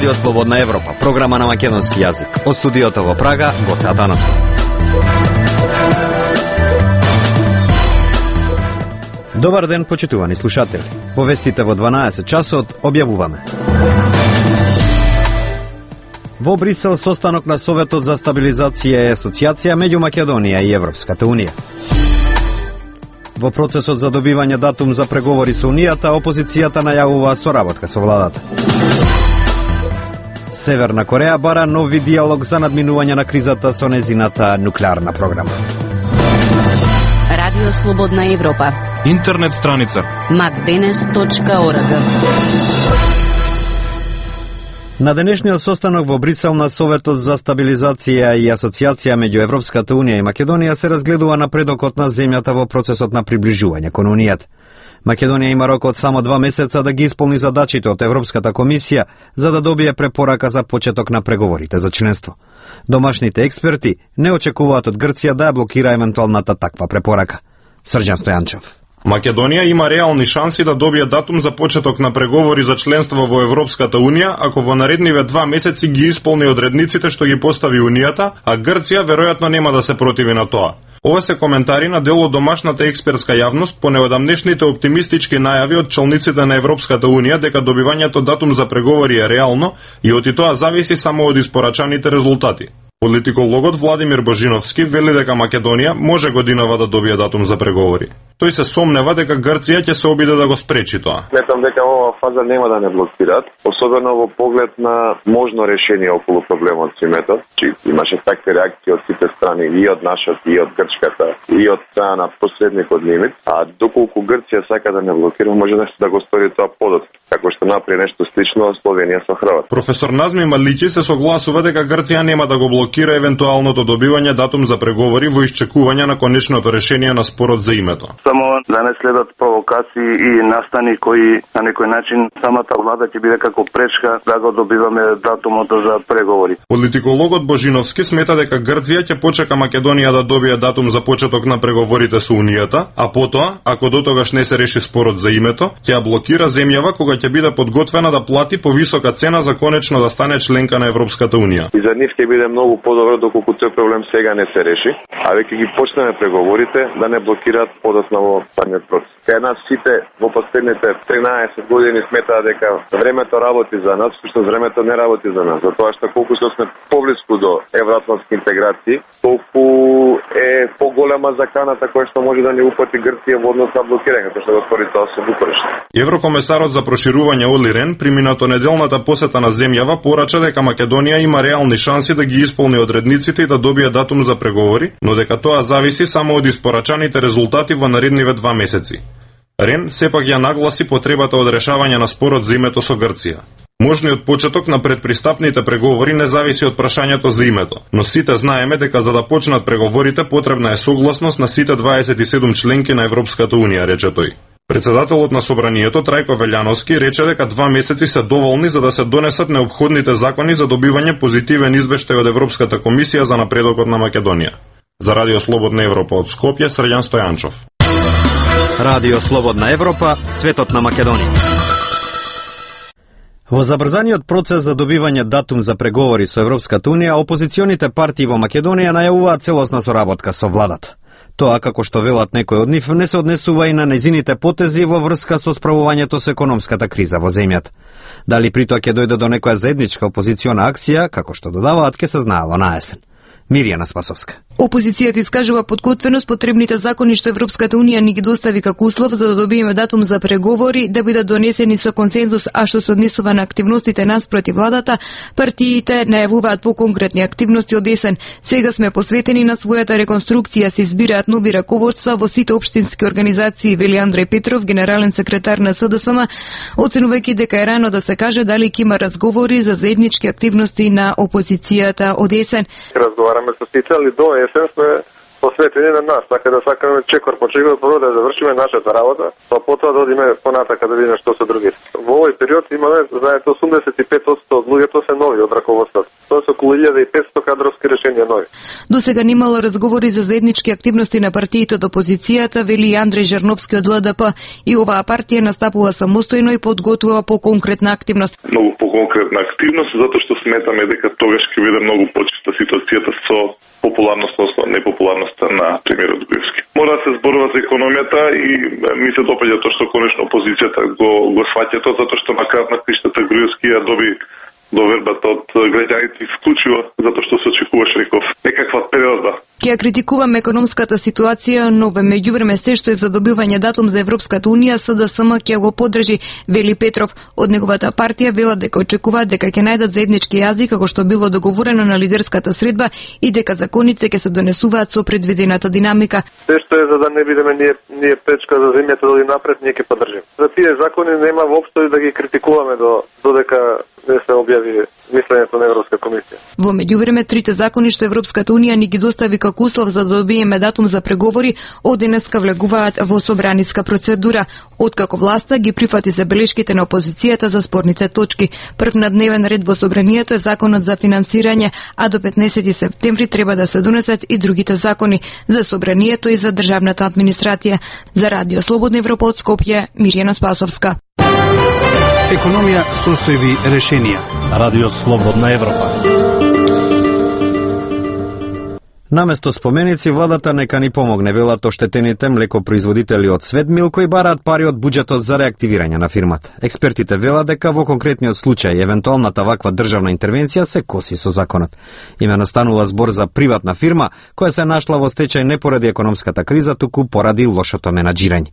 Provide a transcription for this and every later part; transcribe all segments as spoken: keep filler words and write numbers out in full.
Радио Слободна Европа, програма на македонски јазик. Од студиото во Прага, Гоце Атанасов. Добар ден, почитувани слушатели. Во вестите во дванаесет часот објавуваме. Во Брисел состанок на Советот за стабилизација и асоциација меѓу Македонија и Европската унија. Во процесот за добивање датум за преговори со Унијата, опозицијата најавува соработка со владата. Северна Кореја бара нови диалог за надминување на кризата со незината нуклеарна програма. Радио Слободна Европа. Интернет страница макденес точка орг. На денешниот состанок во Брисел на Советот за стабилизација и асоциација меѓу Европската унија и Македонија се разгледува напредокот на земјата во процесот на приближување кон Унијата. Македонија има рок од само два месеца да ги исполни задачите од Европската комисија за да добие препорака за почеток на преговорите за членство. Домашните експерти не очекуваат од Грција да ја блокира евентуалната таква препорака. Срđan Стојанчев. Македонија има реални шанси да добие датум за почеток на преговори за членство во Европската унија ако во наредниве два месеци ги исполни одредниците што ги постави Унијата, а Грција веројатно нема да се противи на тоа. Ова се коментари на дел од домашната експертска јавност по неодамнешните оптимистички најави од челниците на Европската унија дека добивањето датум за преговори е реално и од и тоа зависи само од испорачаните резултати. Политикологот Владимир Божиновски вели дека Македонија може годинава да добие датум за преговори. Тој се сомнева дека Грција ќе се обиде да го спречи тоа. Сметам дека оваа фаза нема да не блокираат, особено во поглед на можно решение околу проблемот со името. Чи имаше такви реакции од сите страни, и од нашата, и од грчката, и од страна на посредникот Нимиц, а доколку Грција сака да не блокира, може да го стори тоа подот, како што направи нешто слично Словенија со Хрватска. Професор Назми Малики се согласува дека Грција нема да го блокира евентуалното добивање датум за преговори во исчекување на конечното решение на спорот за името. Само да не следат провокации и настани кои на некој начин самата влада ќе биде како пречка да го добиваме датумот за преговори. Политикологот Божиновски смета дека Грција ќе почека Македонија да добие датум за почеток на преговорите со Унијата, а потоа, ако дотогаш не се реши спорот за името, ќе ја блокира земјава кога ќе биде подготвена да плати повисока цена за конечно да стане членка на Европската унија. И за нив ќе биде многу подобро доколку тој проблем сега не се реши, а веќе ги почнеме преговорите да не блокираат подоцна во самиот процес. Кај нас сите во последните тринаесет години сметаа дека времето работи за нас, всушност времето не работи за нас, затоа што колку што сме поблиску до евроатлантски интеграции, толку е поголема заканата која што може да ни упати Грција во однос на блокирање, што го стори тоа со Букурешт. Еврокомесарот за проширување Оли Рен преминато неделната посета на земјава порача дека Македонија има реални шанси да ги исполни одредниците и да добие датум за преговори, но дека тоа зависи само од испорачаните резултати во наредниве два месеци. Рен сепак ја нагласи потребата од решавање на спорот за името со Грција. Можниот почеток на предпристапните преговори не зависи од прашањето за името, но сите знаеме дека за да почнат преговорите потребна е согласност на сите дваесет и седум членки на Европската унија, рече тој. Председателот на Собранието Трајко Велјановски рече дека два месеци се доволни за да се донесат неопходните закони за добивање позитивен извештај од Европската комисија за напредокот на Македонија. За Радио Слободна Европа од Скопје, Срđan Стојанчов. Радио Слободна Европа, светот на Македонија. Во забрзаниот процес за добивање датум за преговори со Европската унија, опозиционите партии во Македонија најавуваат целосна соработка со владата. Тоа, како што велат некои од нив, не се однесува и на незините потези во врска со справувањето со економската криза во земјата. Дали при тоа ќе дојде до некоја заедничка опозициона акција, како што додаваат, ќе се знаело на есен. Миријана Спасовска. Опозицијата искажува подготвеност потребните закони што Европската унија ни ги достави како услов за да добиеме датум за преговори да бидат донесени со консензус, а што се однесува на активностите наспроти владата, партиите најавуваат поконкретни активности од есен. Сега сме посветени на својата реконструкција, се избираат нови раководства во сите општински организации, вели Андреј Петров, генерален секретар на СДСМ, оценувајќи дека е рано да се каже дали ќе има разговори за заеднички активности на опозицијата од есен. Разговараме со сите, али до есен сме посветени на нас, така да сакаме чекор по чекор прво да завршиме нашата работа, па потоа да одиме понатака да видиме што се другите. Во овој период имаме, знаете, осумдесет и пет одстотини од луѓето се нови од раководството. Тоа се околу илјада и петстотини кадровски решенија нови. До сега немало разговори за заеднички активности на партиите од опозицијата, вели Андрей Жарновски од Л Д П, и оваа партија настапува самостојно и подготвува по конкретна активност. Многу по конкретна активност, затоа што сметаме дека тогаш ќе биде многу почиста ситуацијата со популарноста, односно непопуларноста на премиерот Груевски. Мора да се зборува за економијата и ми се допаѓа тоа што конечно опозицијата го го сваќа тоа, затоа што на крајот на криштата Груевски ја доби довербата од граѓаните исклучиво затоа што се очекуваше некој некаква периода. Ќе критикуваме економската ситуација, но во меѓувреме се што е за добивање датум за Европската унија, С Д С М ќе го поддржи, вели Петров. Од неговата партија велат дека очекуваат дека ќе најдат заеднички јазик како што било договорено на лидерската средба и дека законите ќе се донесуваат со предвидената динамика. Се што е за да не бидеме ние ние пречка за земјата да оди напред, ние ќе поддржиме. За тие закони нема воопшто да ги критикуваме до додека не се објави мислењето на Европска комисија. Во меѓувреме трите закони што Европската унија ни ги достави како услов за да добиеме датум за преговори, од денеска влегуваат во собраниска процедура. Откако власта ги прифати забелешките на опозицијата за спорните точки. Прв на дневен ред во собранието е законот за финансирање, а до петнаесети септември треба да се донесат и другите закони за собранието и за државната администрација. За Радио Слободна Европа од Скопје, Мирјана Спасовска. Економија, состојби, решенија. Радио Слободна Европа. Наместо споменици, владата нека ни помогне, велат оштетените млекопроизводители од Светмил кои бараат пари од буџетот за реактивирање на фирмата. Експертите велат дека во конкретниот случај евентуалната ваква државна интервенција се коси со законот. Имено станува збор за приватна фирма која се нашла во стечај не поради економската криза, туку поради лошото менаџирање.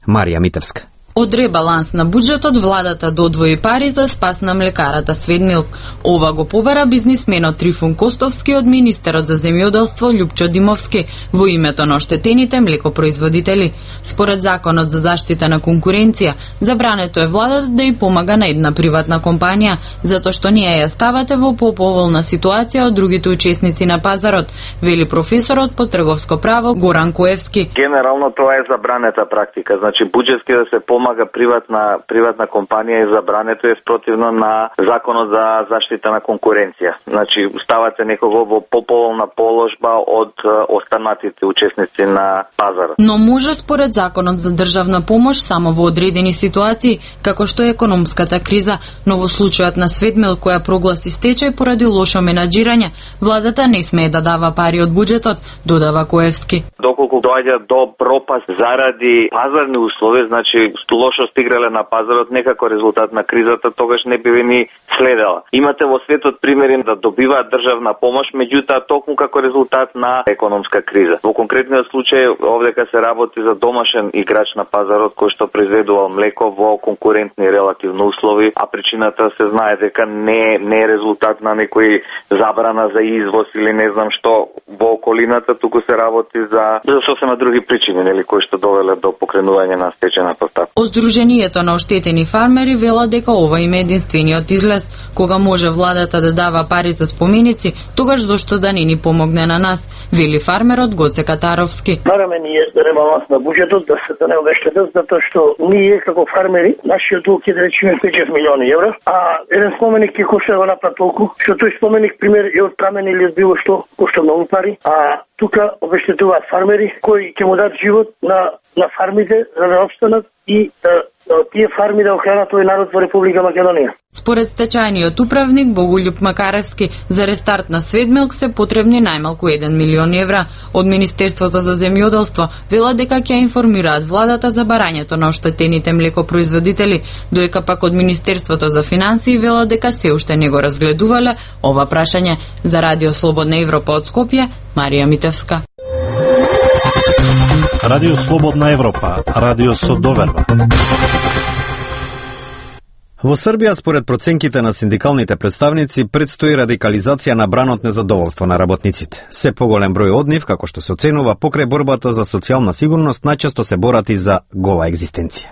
Марија Митевска. Од ребаланс на буџетот владата додвои пари за спас на млекарата Светмилк. Ова го побара бизнисменот Трифун Костовски од министерот за земјоделство Љупчо Димовски во името на оштетените млекопроизводители. Според законот за заштита на конкуренција, забрането е владата да ја помага на една приватна компанија, затоа што ние ја ставате во поповолна ситуација од другите учесници на пазарот, вели професорот по трговско право Горан Коевски. Генерално тоа е забранета практика, значи буџетски да се помага приватна приватна компанија и забрането е спротивно на законот за заштита на конкуренција. Значи ставате некого во поповолна положба од останатите учесници на пазарот. Но може според законот за државна помош само во одредени ситуации, како што е економската криза, но во случајот на Светмил која прогласи стечај поради лошо менаџирање, владата не смее да дава пари од буџетот, додава Коевски. Доколку доаѓа до пропаст заради пазарни услови, значи лошо стиграле на пазарот, некако резултат на кризата, тогаш не би ни следела. Имате во светот примери да добиваат државна помош, меѓутоа токму како резултат на економска криза. Во конкретниот случај овдека се работи за домашен играч на пазарот кој што произведувал млеко во конкурентни релативно услови, а причината се знае дека не не е резултат на некој забрана за извоз или не знам што во околината, туку се работи за за сосема други причини, нели, кои што довеле до покренување на стечајна постапка. Сдруженијето на оштетени фармери вела дека ова им е единствениот излез. Кога може владата да дава пари за споменици, тогаш зошто да не ни помогне на нас, вели фармерот Гоце Катаровски. Бараме ние ребаланс на буџетот да се не обештетат, затоа што ние како фармери, нашиот дug е да речеме пет милиони евра, а еден споменик ќе кошта го направи толку, што тој споменик пример е од прамен или од било што кошта многу пари, а тука обештетуваат фармери кои ќе му дадат живот на на фармите за да опстанат и да, да тие фарми да охранат тој народ во Република Македонија. Според стечајниот управник Боголјуп Макаревски, за рестарт на Светмилк се потребни најмалку еден милион евра. Од Министерството за земјоделство вела дека ќе информираат владата за барањето на оштетените млекопроизводители, доека пак од Министерството за финансии вела дека се уште не го разгледувале ова прашање. За Радио Слободна Европа од Скопје, Марија Митевска. Радио Слободна Европа, радио со доверба. Во Србија, според проценките на синдикалните представници, предстои радикализација на бранот незадоволство на работниците. Се поголем број од нив, како што се оценува, покрај борбата за социјална сигурност, најчесто се борат и за гола екзистенција.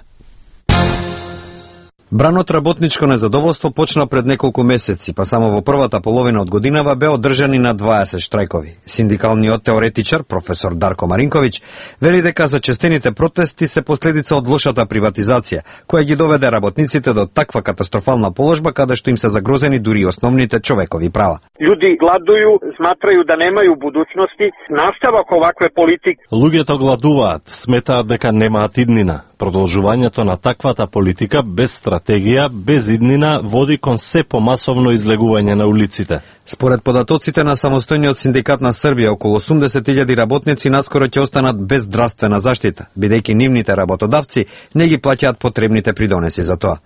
Бранот работничко незадоволство почна пред неколку месеци, па само во првата половина од годинава бе одржани на дваесет штрајкови. Синдикалниот теоретичар, професор Дарко Маринковиќ, вели дека зачестените протести се последица од лошата приватизација, која ги доведе работниците до таква катастрофална положба каде што им се загрозени дури основните човекови права. Луѓе гладуju, сматрају да немају будуćности, наставак овакве политики. Луѓето гладуваат, сметаат дека немаат иднина. Продолжувањето на таквата политика без стратегија, без иднина, води кон се помасовно излегување на улиците. Според податоците на самостојниот синдикат на Србија, околу осумдесет илјади работници наскоро ќе останат без здравствена заштита, бидејќи нивните работодавци не ги плаќаат потребните придонеси за тоа.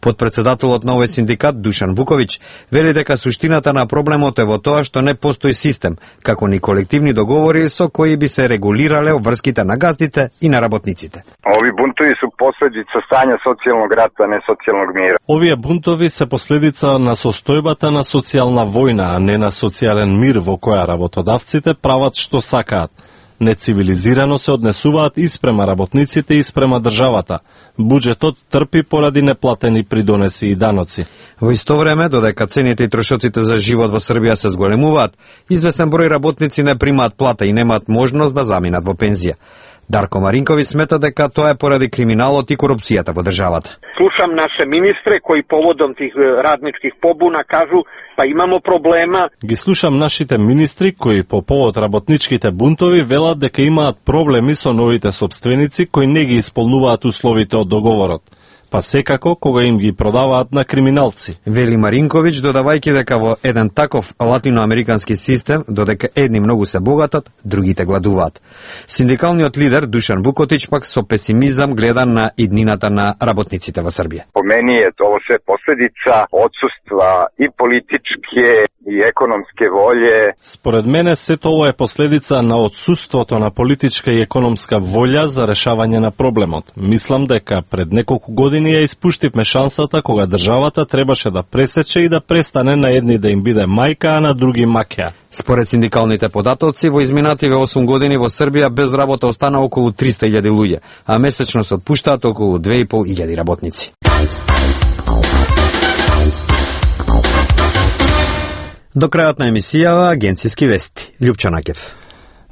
Подпредседателот на овој синдикат, Душан Вуковиќ, вели дека суштината на проблемот е во тоа што не постои систем, како ни колективни договори со кои би се регулирале обврските на газдите и на работниците. Ови бунтови су последица стања социјалног рата, не социјалног мира. Овие бунтови се последица на состојбата на социјална војна, а не на социјален мир во која работодавците прават што сакаат. Нецивилизирано се однесуваат и спрема работниците и спрема државата. Буџетот трпи поради неплатени придонеси и даноци. Во исто време, додека цените и трошоците за живот во Србија се зголемуваат, известен број работници не примаат плата и немаат можност да заминат во пензија. Дарко Маринковиќ смета дека тоа е поради криминалот и корупцијата во државата. Слушам наше министре кои поводом тих радничких побуна кажу па имамо проблема. Ги слушам нашите министри кои по повод работничките бунтови велат дека имаат проблеми со новите собственици кои не ги исполнуваат условите од договорот. Па секако кога им ги продаваат на криминалци. Вели Маринковиќ, додавајќи дека во еден таков латиноамерикански систем, додека едни многу се богатат, другите гладуваат. Синдикалниот лидер Душан Вукотич пак со песимизам гледа на иднината на работниците во Србија. По мени е тоа се последица отсуства и политичке и економске волје. Според мене сето ова е последица на отсуството на политичка и економска волја за решавање на проблемот. Мислам дека пред неколку години ја испуштивме шансата кога државата требаше да пресече и да престане на едни да им биде мајка, а на други маќа. Според синдикалните податоци, во изминативе осум години во Србија без работа остана околу триста илјади луѓе, а месечно се отпуштаат околу две и пол илјади работници. До крајот на емисијава агенцијски вести. Лјупчо Накев.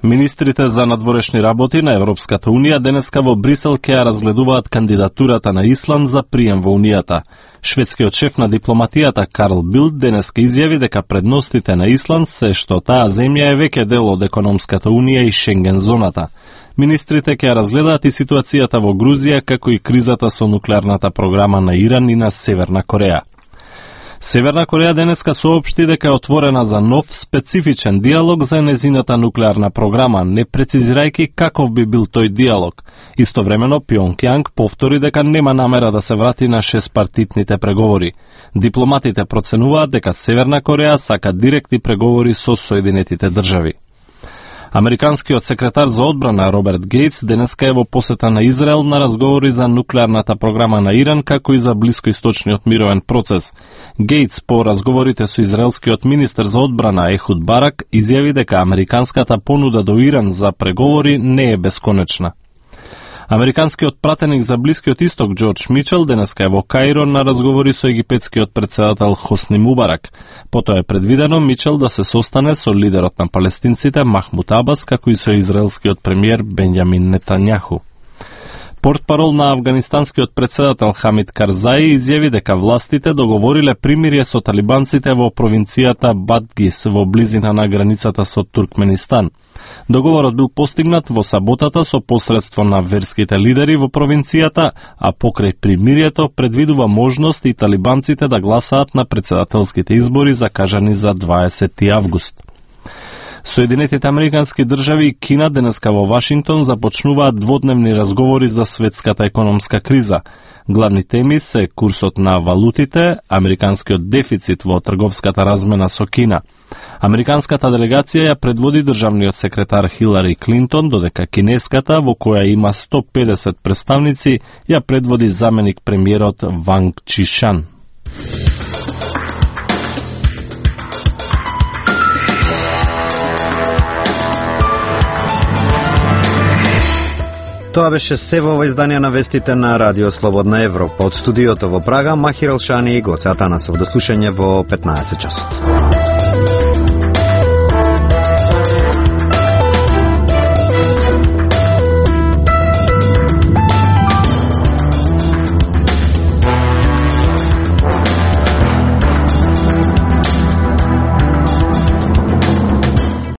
Министрите за надворешни работи на Европската Унија денеска во Брисел ќе ја разгледуваат кандидатурата на Исланд за прием во Унијата. Шведскиот шеф на дипломатијата Карл Билд денеска изјави дека предностите на Исланд се што таа земја е веќе дел од економската унија и Шенген зоната. Министрите ќе ја разгледаат и ситуацијата во Грузија, како и кризата со нуклеарната програма на Иран и на Северна Кореја. Северна Кореја денеска соопшти дека е отворена за нов специфичен диалог за незината нуклеарна програма, не прецизирајќи каков би бил тој диалог. Истовремено Пјонкјанг повтори дека нема намера да се врати на шестпартитните преговори. Дипломатите проценуваат дека Северна Кореја сака директни преговори со Соединетите држави. Американскиот секретар за одбрана Роберт Гейтс денеска е во посета на Израел на разговори за нуклеарната програма на Иран, како и за блискоисточниот мировен процес. Гейтс по разговорите со израелскиот министер за одбрана Ехуд Барак изјави дека американската понуда до Иран за преговори не е бесконечна. Американскиот пратеник за Блискиот Исток Џорџ Мичел денеска е во Каиро на разговори со египетскиот председател Хосни Мубарак. Потоа е предвидено Мичел да се состане со лидерот на палестинците Махмуд Абас, како и со израелскиот премиер Бенјамин Нетањаху. Портпарол на афганистанскиот председател Хамид Карзаи изјави дека властите договориле примирие со талибанците во провинцијата Бадгис во близина на границата со Туркменистан. Договорот бил постигнат во саботата со посредство на верските лидери во провинцијата, а покрај примирието предвидува можност и талибанците да гласаат на председателските избори закажани за дваесети август. Соединетите американски држави и Кина денеска во Вашингтон започнуваат дводневни разговори за светската економска криза. Главни теми се курсот на валутите, американскиот дефицит во трговската размена со Кина. Американската делегација ја предводи државниот секретар Хилари Клинтон, додека кинеската, во која има сто педесет представници, ја предводи заменик премиерот Ванг Чишан. Тоа беше се во ова издание на вестите на Радио Слободна Европа. Од студиото во Прага, Махир Алшани и Гоце Атанасов. До слушање во петнаесет часот.